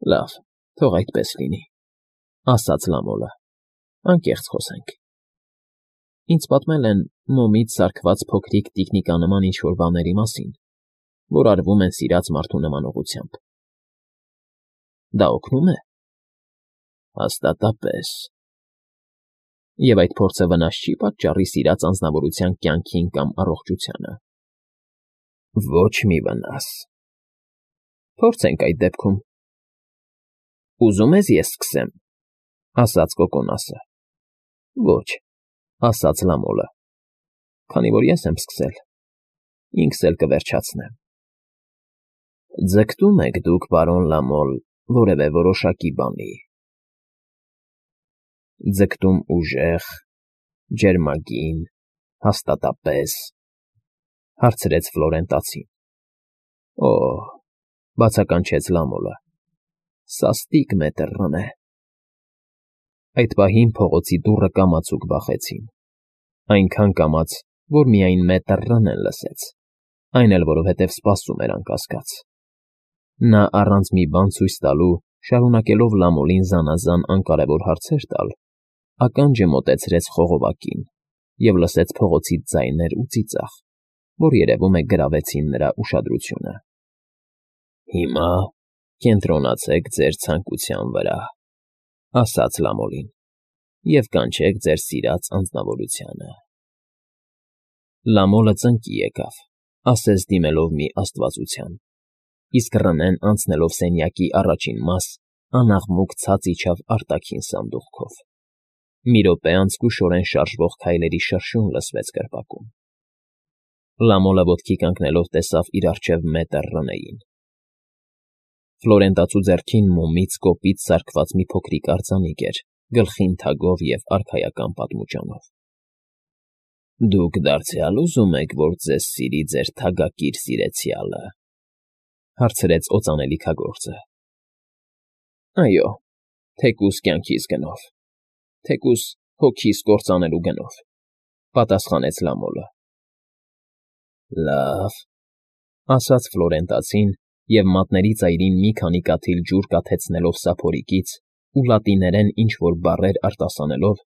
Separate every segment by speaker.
Speaker 1: Լավ, թող այդպես լինի, ասաց Լամոլը, անկեղծ խոսենք. ինձ պատմել են մոմից սարքված փոքրիկ տիկնիկանման ինչ֊որ բաների մասին, որ արվում են սիրած մարդու նմանողությամբ։ Դա օգնում է։ Հաստատապես։ Եվ այդ փորձը վնաս չի պատճառի սիրած անձնավորության կյանքին կամ առողջությանը։ Ոչ մի վնաս։ Փորձենք այդ դեպքում։ Ուզում ես ես սկսեմ, ասաց Կոկոնասը։ Ոչ, ասաց Լամոլը, քանի որ ես եմ սկսել, ինքս էլ կվերջացնեմ։ Ձգտում եք դուք, պարոն Լամոլ, որևէ որոշակի բանի։ Ձգտում ուժեղ, ջերմագին, հաստատապես, հարցրեց Ֆլորենտացին։ Օ՜, բացականչեց Լամոլը, սաստիկ մետռն է։ Այդ պահին փողոցի դուռը կամացուկ բախեցին, այնքան կամաց, որ միայն մետռն լսեց, այն էլ որովհետև սպասում էր անկասկած։ Նա առանց մի բան ցույց տալու, շարունակելով Լամոլին զանազան անկարևոր հարցեր տալ, ականջը մոտեցրեց խողովակին և լսեց փողոցից ձայներ ու ծիծաղ, որ երևում է գրավեցին նրա ուշադրությունը։ Հիմա կենտրոնացեք ձեր ցանկության վրա, ասաց Լամոլին, և կանչեք ձեր սիրած անձնավորությանը։ Լամոլը ծնկի եկավ, ասես դիմելով մի աստվածության, իսկ Ռնեն անցնելով սենյակի առաջին մաս, անաղմուկ ցած իջավ արտաքին սանդուղքով։ Մի րոպե անց զգուշորեն շարժվող քայլերի շրշյուն լսվեց կրպակում։ Լամոլը ոտքի կանգնելով տեսավ իր առջև մետր Ռնեին։ Ֆլորենտացու ձեռքին մոմից կոպիտ սարքված մի փոքրիկ արձանիկ էր, գլխին թագով և արքայական պատմուճանով։ Դուք դարձյալ ուզում եք, որ ձեզ սիրի ձեր թագակիր սիրեցյալը, հարցրեց օծանելիքագործը։ Այո, թեկուզ կյանքիս գնով, թեկուզ հոգիս կործանելու գնով, պատասխանեց Լամոլը։ Լավ, ասաց Ֆլորենտացին և մատների ծայրին մի քանի կաթիլ ջուր կաթեցնելով սափորիկից ու լատիներեն ինչ֊որ բառեր արտասանելով,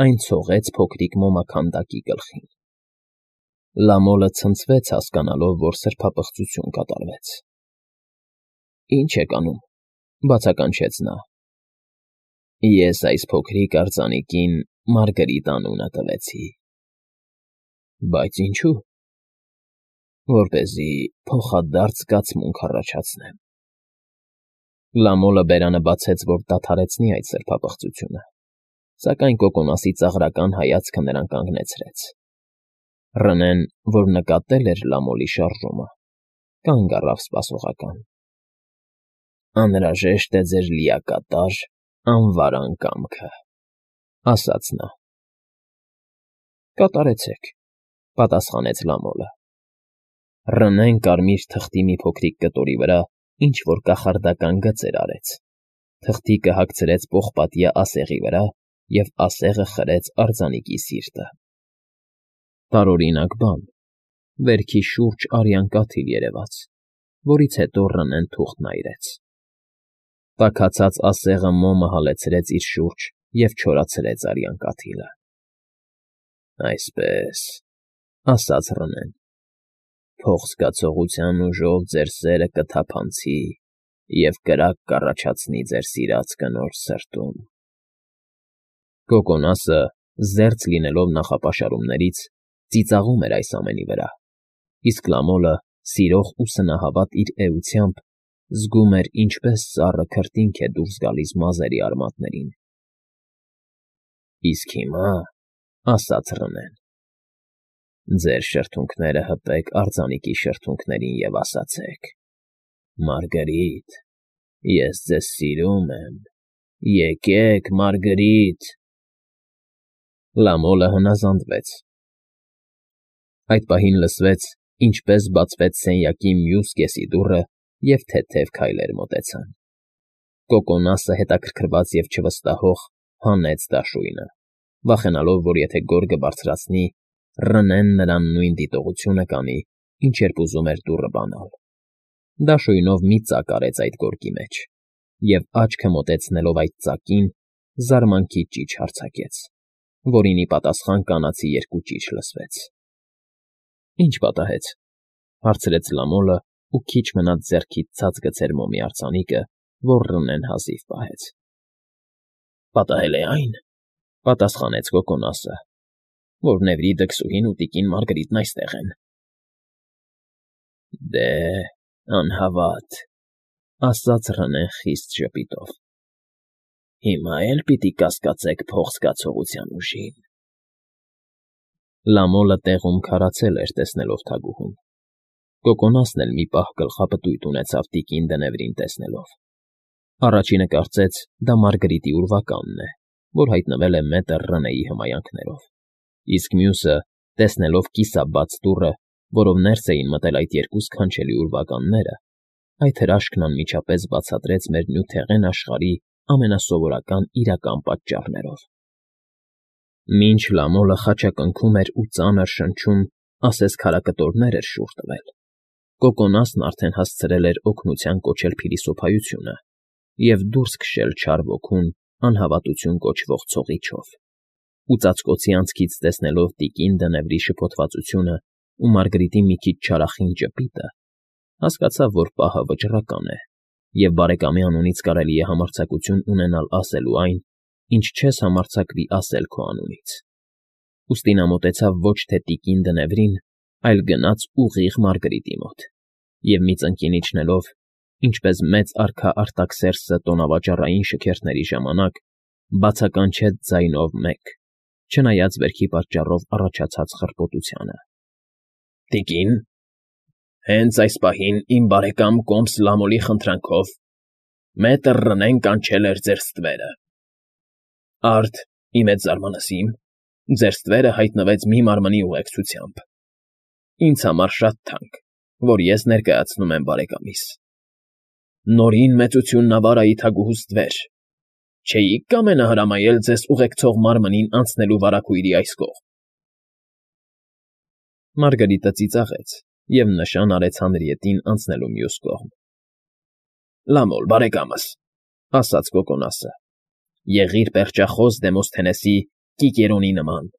Speaker 1: այն ցողեց փոքրիկ մոմաքանդակի գլխին։ Լամոլը ցնցվեց հասկանալով, որ սրբապղծություն կատարվեց։ Ինչ եք անում, բացականչեց նա։ Ես այս փոքրիկ արձանիկին Մարգրիտ անունը տվեցի։ Բայց ինչու։ Որպեսզի փոխադարձ զգացմունք առաջացնեմ։ Լամոլը բերանը բացեց, որ դադարեցնի այդ սրբապղծությունը, սակայն Կոկոնասի ծաղրական հայացքը նրան կանգնեցրեց։ Ռնեն, որ նկատել էր Լամոլի շարժումը, կանգ առավ սպասողական։ Անհրաժեշտ է ձեր լիակատար, անվարան կամքը, ասաց նա։ Կատարեցեք, պատասխանեց Լամոլը։ Ռնեն կարմիր թղթի մի փոքրիկ կտորի վրա ինչ-որ կախարդական գծեր արեց, թղթիկը հագցրեց պողպատյա ասեղի վրա և ասեղը խրեց արձանիկի սիրտը։ Տարօրինակ բան, վերքի շուրջ արյան կաթիլ երևաց, որից հետո Ռնեն թուղթն այրեց։ Տաքացած ասեղը մոմը հալեցրեց իր շուրջ և չորացրեց արյան կաթիլը։ Այսպես, ասաց Ռնեն, փոխզգացողության ուժով ձեր սերը կթափանցի և կրակ կառաջացնի ձեր սիրած կնոջ սրտում։ Կոկոնասը, զերծ լինելով նախապաշարումներից, ծիծաղում էր այս ամենի վրա, իսկ Լամոլը, սիրող ու սնահավատ իր էությամբ, զգում էր, ինչպես սառը քրտինք է դուրս գալիս մազերի արմատներին։ Իսկ հիմա, ասաց Ռնեն, ձեր շրթունքները հպեք արձանիկի շրթունքներին և ասացեք. Մարգրիտ, ես ձեզ սիրում եմ, եկեք, Մարգրիտ։ Լամոլը հնազանդվեց։ Այդ պահին լսվեց, ինչպես բացվեց սենյակի մյուս կեսի դուռը, և թեթև քայլեր մոտեցան։ Կոկոնասը հետաքրքրված և չվստահող հանեց դաշույնը, վախենալով, որ եթե գորգը բարձրացնի, Ռնեն նրան նույն դիտողությունը կանի, ինչ երբ ուզում էր դուռը բանալ։ Դաշույնով մի ծակ արեց այդ գորգի մեջ, և աչքը մոտեցնելով այդ ծակին, զարմանքի ճիչ արձակեց, որին ի պատասխան կանացի երկու ճիչ լսվեց։ ֊ Ի՞նչ պատահեց,֊ հարցրեց Լամոլը ու քիչ մնաց ձեռքից ցած գցեր մոմի արձանիկը, որ Ռնեն հազիվ պահեց։ ֊ Պատահել է այն,֊ պատասխանեց կոկոնասը, որ Նևրիդը, քսուհին ու տիկին Մարգարիտն այստեղ են։ ֊ Դե, անհավատ,֊ ասաց Ռնեն խիստ ժպիտով։ ֊ Հիմա էլ պիտի կասկածեք փող զգացողության ուժին… Լամոլը տեղում քարացել էր, տեսնելով թագուհուն։ Կոկոնասն էլ մի պահ գլխապտույտ ունեցավ տիկին Դնևրին տեսնելով։ Առաջինը կարծեց, դա Մարգարիտի ուրվականն է, որ հայտնվել է մետր Ռնեի հմայանքներով, իսկ մյուսը, տեսնելով կիսաբաց դուռը, որով ներս էին մտել այդ երկու սքանչելի ուրվականները, այդ հրաշքն անմիջապես բացատրեց մեր նյութեղեն աշխարհի ամենասովորական իրական պատճառներով։ Մինչ Լամոլը խաչակնքում էր ու ծանր շնչում, ասես քարակտորներ էր շուռ տվել, Կոկոնասն արդեն հասցրել էր օգնության կոչել փիլիսոփայությունը և դուրս քշել չար ոգուն անհավատություն կոչվող ցողիչով, ու ծածկոցի անցքից տեսնելով տիկին Դնևրի շփոթվածությունն ու Մարգարիտի մի քիչ չարախինդ ժպիտը, հասկացավ, որ պահը վճռական է, և բարեկամի անունից կարելի է համարձակություն ունենալ ասելու այն, ինչ չես համարձակվի ասել քո անունից։ Ուստի նա մոտեցավ ոչ թե տիկին Դնևրին, այլ գնաց ուղիղ Մարգարիտի մոտ և մի ծնկին իջնելով, ինչպես մեծ արքա Արտաքսերքսը տոնավաճառային շքերթների ժամանակ, բացականչեց ձայնով մեկ, չնայած վերքի պատճառով առաջացած խռպոտությանը. «Տիկին, հենց այս պահին իմ բարեկամ կոմս Լամոլի խնդրանքով մետր Ռնեն կանչել էր ձեր ստվերը… Արդ, ի մեծ զարմանալիsim, ձեր ստվերը հայտնվեց մի մարմնի ուղեկցությամբ… Ինձ համար շատ թանկ, որ ես ներկայացնում եմ բարեկամիս… Նորին մեծություննավար թագուհու ստվեր… Չէի՞ք կամենա հրամայել ձեզ ուղեկցող մարմնին անցնելու վարագույրի այս կողմ… Մարգարիտը ծիծաղեց և նշան արեց հանրիետին անցնելու մյուս կողմ։ ֊ Լամոլ, բարեկամս,֊ ասաց Կոկոնասը,֊ եղիր պերճախոս Դեմոսթենեսի Կիկերոնի նման,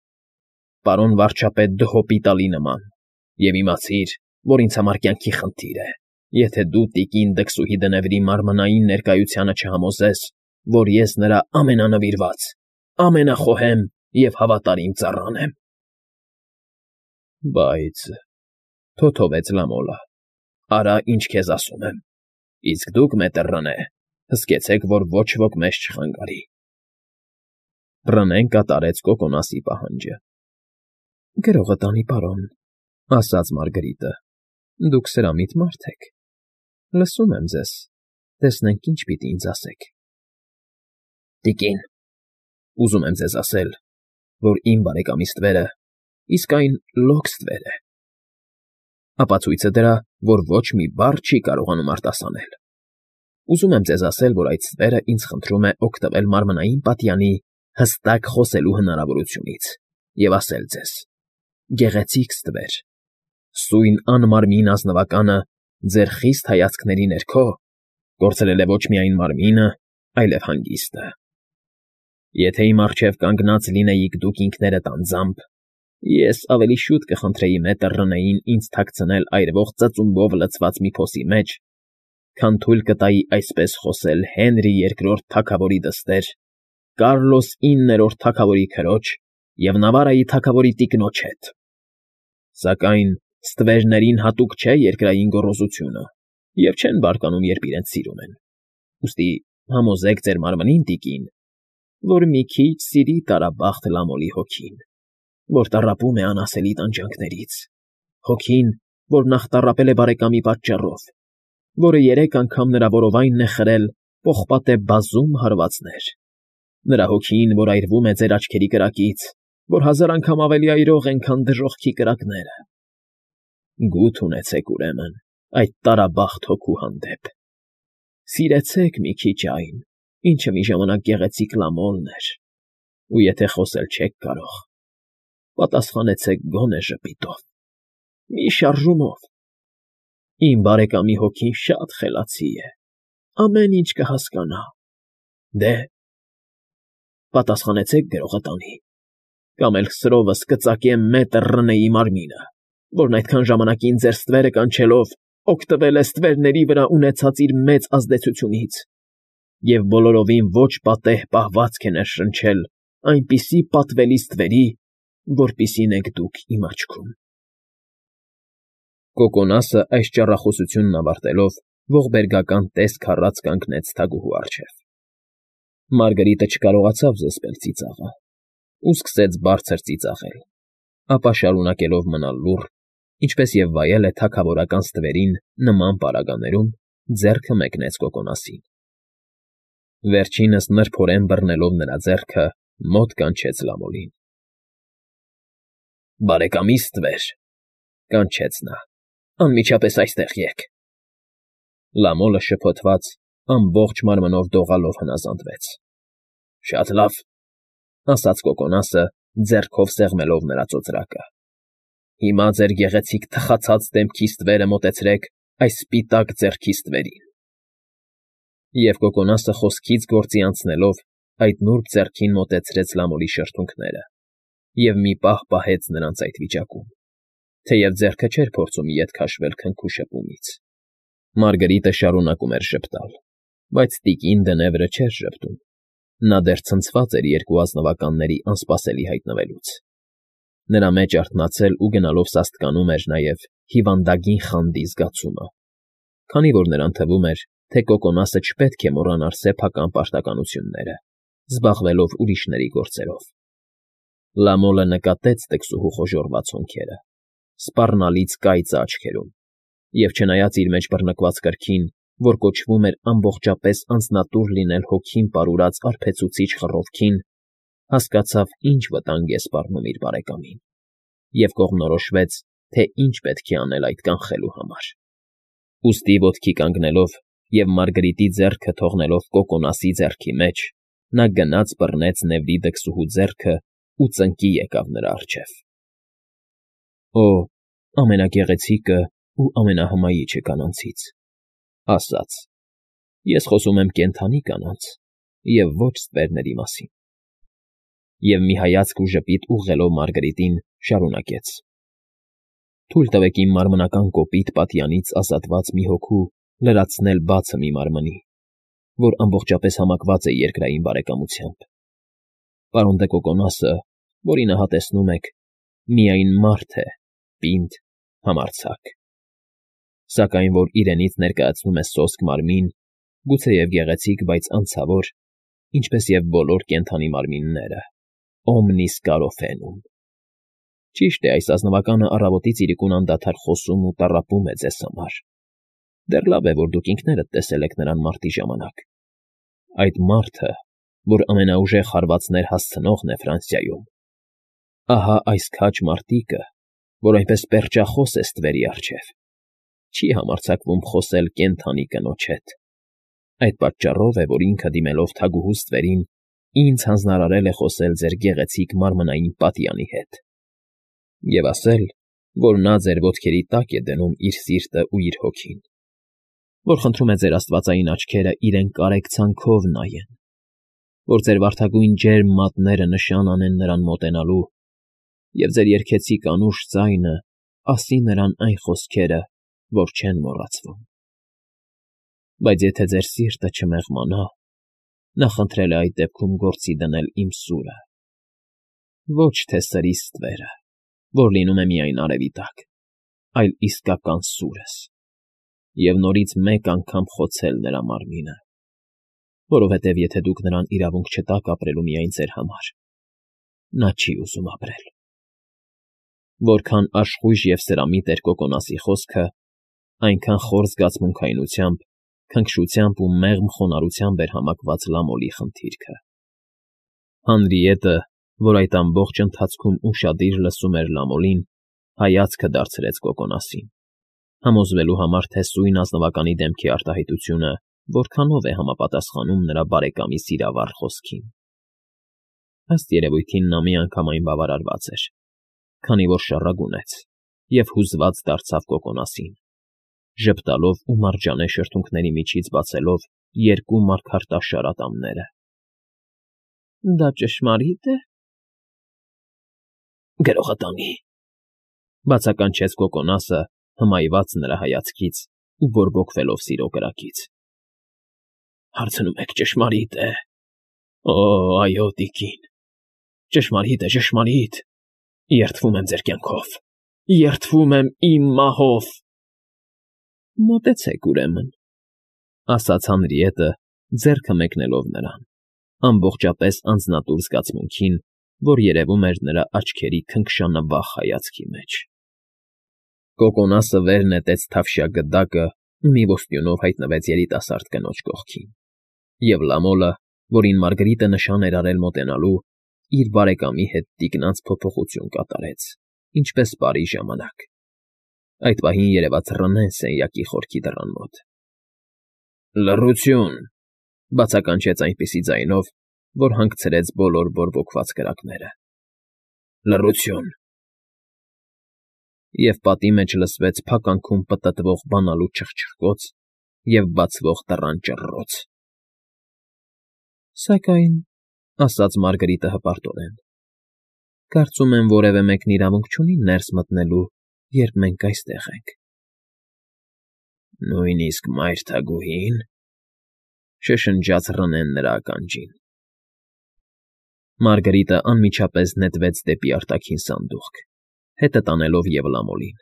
Speaker 1: պարոն վարչապետ Դհոպիտալի նման, և իմացիր, որ ինձ համար կյանքի խնդիր է, եթե դու տիկին դքսուհի Դնևրի մարմնային ներկայությանը չհամոզես, որ ես նրա ամենանվիրված, ամենախոհեմ և հավատարիմ ծառան եմ… ֊ Բայց,֊ թոթովեց Լամոլը,֊ արա, ինչ քեզ ասում եմ, իսկ դուք, մետր Ռնե, հսկեցեք, որ ոչ ոք մեզ չխանգարի… Ռնեն կատարեց Կոկոնասի պահանջը։ ֊ Գրողը տանի, պարոն,֊ ասաց Մարգարիտը,֊ դուք սրամիտ մարդ եք… Լսում եմ ձեզ, տեսնենք ինչ պիտի ինձ ասեք։ ֊ Տիկին, ուզում եմ ձեզ ասել, որ իմ բարեկամի ստվերը իսկայն լոկ ստվեր է… Ապացույցը դրա, որ ոչ մի բառ չի կարողանում արտասանել… Ուզում եմ ձեզ ասել, որ այդ ստվերը ինձ խնդրում է օգտվել մարմնային պատյանի հստակ խոսելու հնարավորությունից և ասել ձեզ. գեղեցիկ ստվեր, սույն անմարմին ազնվականը ձեր խիստ հայացքների ներքո կորցրել է ոչ միայն մարմինը, այլև հանգիստը… Եթե իմ առջև կանգնած լինեիք դուք ինքներդ անձամբ, ես ավելի շուտ կխնդրեի մետր Ռնեին ինձ թաքցնել այրվող ծծումբով լցված մի փոսի մեջ, քան թույլ կտայի այսպես խոսել Հենրի II թագավորի դստեր, Կարլոս IX թագավորի քրոջ և Նավարայի թագավորի տիկնոջ հետ… Սակայն ստվերներին հատուկ չէ երկրային գոռոզությունը և չեն բարկանում, երբ իրենց սիրում են… Ուստի համոզեք ձեր մարմնին, տիկին, որ մի քիչ սիրի տարաբախտ Լամոլի հոգին, որ տառապում է անասելի տանջանքներից, հոգին, որ նախ տառապել է բարեկամի պատճառով, որը 3 անգամ նրա որովայնն է խրել պողպատե բազում հարվածներ, նրա հոգին, որ այրվում է ձեր աչքերի կրակից, որ 1000 անգամ ավելի այրող են, քան դժոխքի կրակները… Գութ ունեցեք, ուրեմն, այդ տարաբախտ հոգու հանդեպ… Սիրեցեք մի քիչ այն, ինչը մի ժամանակ գեղեցիկ Լամոլն էր, ու եթե խոսել չեք կարող, պատասխանեցեք գոնե ժպիտով, մի շարժումով… Իմ բարեկամի հոգին շատ խելացի է,
Speaker 2: ամեն ինչ կհասկանա։ Դե, պատասխանեցեք գրողը տանի, կամ էլ սրովս կծակեմ մետր Ռնեի մարմինը, որն այդքան ժամանակին ձեր ստվերը կանչելով օգտվել է ստվերների վրա ունեցած իր մեծ ազդեցությունից և բոլորովին ոչ պատեհ պահվածք է ներշնչել այնպիսի պատվելի ստվերի, որպիսին եք դուք իմ աչքում։
Speaker 1: Կոկոնասը այս ճառախոսությունն ավարտելով ողբերգական տեսք առած կանգնեց թագուհու առջև։ Մարգարիտը չկարողացավ զսպել ծիծաղը ու սկսեց բարձր ծիծաղել, ապա շարունակելով մնալ լուռ, ինչպես և վայել է թագավորական ստվերին նման պարագաներում, ձեռքը մեկնեց Կոկոնասին։ Վերջինս նրբորեն բռնելով նրա ձեռքը, մոտ կանչեց Լամոլին։ «Բարեկամի ստվեր», կանչեց նա, «անմիջապես այստեղ եկ»։ Լամոլը շփոթված, ամբողջ մարմնով դողալով հնազանդվեց։ «Շատ լավ», ասաց Կոկոնասը, ձեռքով սեղմելով նրա ծոծրակը։ «Հիմա ձեր գեղեցիկ թխացած դեմքի ստվերը մոտեցրեք այս սպիտակ ձեռքի ստվերին»։ Եվ Կոկոնասը խոսքից գործի անցնելով այդ նուրբ ձեռքին մոտեցրեց Լամոլի շրթունքները և մի պահ պահեց նրանց այդ վիճակում, թեև ձեռքը չէր փորձում ետ քաշվել քնքու շփումից։ Մարգարիտը շարունակում էր ժպտալ, բայց տիկին Դնևրը չէր ժպտում. նա դեռ ցնցված էր երկու ազնվականների անսպասելի հայտնվելուց։ Նրա մեջ արթնացել ու գնալով սաստկանում էր նաև հիվանդագին խանդի զգացումը, քանի որ նրան թվում էր, թե Կոկոնասը չպետք է մոռանար սեփական պարտականությունները, զբաղվելով ուրիշների գործերով։ Լամոլը նկատեց տկսուհու խոժոռված հոնքերը, սպառնալից կայծը աչքերում, և չնայած իր մեջ բռնկված կրքին, որ կոչվում էր ամբողջապես անձնատուր լինել հոգին պարուրած արբեցուցիչ խռովքին, հասկացավ ինչ վտանգ է սպառնում իր բարեկամին, և կողմնորոշվեց, թե ինչ պետք է անել այդ կանխելու համար։ Ուստի ոտքի կանգնելով և Մարգարիտի ձեռքը թողնելով Կոկոնասի ձեռքի մեջ, նա գնաց բռնեց Նեվրի դքսուհու ձեռքը ու ծնկի եկավ նրա առջև։ «Օ, ամենագեղեցիկը ու ամենահմայիչը կանանցից», ասաց, «ես խոսում եմ կենդանի կանանց և ոչ ստվերների մասին»։ Եվ մի հայացք ու ժպիտ ուղղելով Մարգարիտին, շարունակեց. «Թույլ տվեք իմ մարմնական կոպիտ պատյանից ազատված մի հոգու լրացնել բացը մի մարմնի, որ ամբողջապես համակված է երկրային բարեկամությամբ։ Պարոն դե Կոկոնասը, որին ահա տեսնում եք, միայն մարդ է, պինդ, համարձակ, սակայն որ իրենից ներկայացնում է սոսկ մարմին, գուցեև գեղեցիկ, բայց անցավոր, ինչպես և բոլոր կենդանի մարմինները, օմնիս կարոֆենում։ Ճիշտ է, այս ազնվականը առավոտից իրիկուն անդադար խոսում ու տառապում է ձեզ համար։ Դեռ լավ է, որ դուք ինքներդ տեսել եք նրան մարտի ժամանակ։ Այդ մարդը, որ ամենաուժեղ հարվածներ հասցնողն է Ֆրանսիայում, ահա այս քաջ մարտիկը, որ այնպես պերճախոս է ստվերի առջև, չի համարձակվում խոսել կենդանի կնոջ հետ։ Այդ պատճառով է, որ ինքը դիմելով թագուհու ստվերին, ինձ հանձնարարել է խոսել ձեր գեղեցիկ մարմնային պատյանի հետ և ասել, որ նա ձեր ոտքերի տակ է դնում իր սիրտը ու իր հոգին, որ խնդրում է ձեր աստվածային աչքերը իրեն կարեկցանքով նայեն, որ ձեր վարդագույն ջերմ մատները նշան անեն նրան մոտենալու, և ձեր երգեցիկ անուշ ձայնը ասի նրան այն խոսքերը, որ չեն մոռացվում։ Բայց եթե ձեր սիրտը չմեղմանա, նա խնդրել է այդ դեպքում գործի դնել իմ սուրը, ոչ թե սրի ստվերը, որ լինում է միայն արևի տակ, այլ իսկական սուրս, և նորից մեկ անգամ խոցել նրա մարմինը, որովհետև եթե դուք նրան իրավունք չտաք ապրելու միայն ձեր համար, նա չի ուզում ապրել։ Որքան աշխույժ և սրամիտ էր Կոկոնասի խոսքը, այնքան խոր զգացմունքայնությամբ, քնքշությամբ ու մեղմ խոնարհությամբ էր համակված Լամոլի խնդիրքը։ Հանրիետը, որ այդ ամբողջ ընթացքում ուշադիր լսում էր Լամոլին, հայացքը դարձրեց Կոկոնասին, համոզվելու համար, թե սույն ազնվականի դեմքի արտահայտությունը որքանով է համապատասխանում նրա բարեկամի սիրավառ խոսքին։ Ըստ երևույթին նա միանգամայն բավարարված էր, քանի որ շառագունեց և հուզված դարձավ Կոկոնասին, ժպտալով ու մարջանե շրթունքների միջից բացելով երկու մարգարտաշար ատամները։ ֊ Դա ճշմարի՞տ է։ ֊
Speaker 2: Գրողատանի,֊
Speaker 1: բացականչեց Կոկոնասը, հմայված նրա հայացքից ու բորբոքվելով սիրո կրակից։ ֊
Speaker 2: Հարցնում եք ճշմարի՞տ է։ Օ, այո, տիկին, ճշմարիտ է, ճշմարիտ։ Երդվում եմ ձեր կյանքով, երդվում եմ իմ մահով։
Speaker 1: ֊ Մոտեցեք, ուրեմն,֊ ասաց Հանրիետը, ձեռքը մեկնելով նրան, ամբողջապես անձնատուր զգացմունքին, որ երևում էր նրա աչքերի քնքշանավախ հայացքի մեջ։ Կոկոնասը վեր նետեց թավշյա գդակը ու մի ոստյունով հայտնվեց երիտասարդ կնոջ կողքին, և Լամոլը, որին Մարգարիտը նշան էր արել մոտենալու, իր բարեկամի հետ տիկնանց փոփոխություն կատարեց, ինչպես պարի ժամանակ։ Այդ պահին երևաց Ռնեն սենյակի խորքի դռան մոտ։ ֊ Լռություն,֊ բացականչեց այնպիսի ձայնով, որ հանգցրեց բոլոր բորբոքված կրակները։ ֊ Լռություն… Եվ պատի մեջ լսվեց փականքում պտտվող բանալու չխչխկոց և բացվող դռան ճռռոց։ ֊ Սակայն,֊ ասաց Մարգարիտը հպարտորեն,֊ կարծում եմ, որևէ մեկն իրավունք չունի ներս մտնելու, երբ մենք այստեղ ենք։ ֊ Նույնիսկ մայրթագուհի՞ն,֊ շշնջաց Ռնեն նրա ականջին։ Մարգարիտը անմիջապես նետվեց դեպի արտաքին սանդուղք, հետը տանելով և Լամոլին։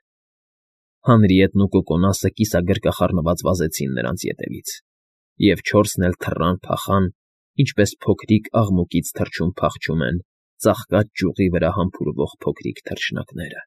Speaker 1: Հանրիետն ու Կոկոնասը կիսագրկախառնված վազեցին նրանց ետևից, և չորսն էլ թռան փախան, ինչպես փոքրիկ աղմուկից թռչուն փախչում են ծաղկած ճյուղի վրա համբուրվող փոքրիկ թռչնակները։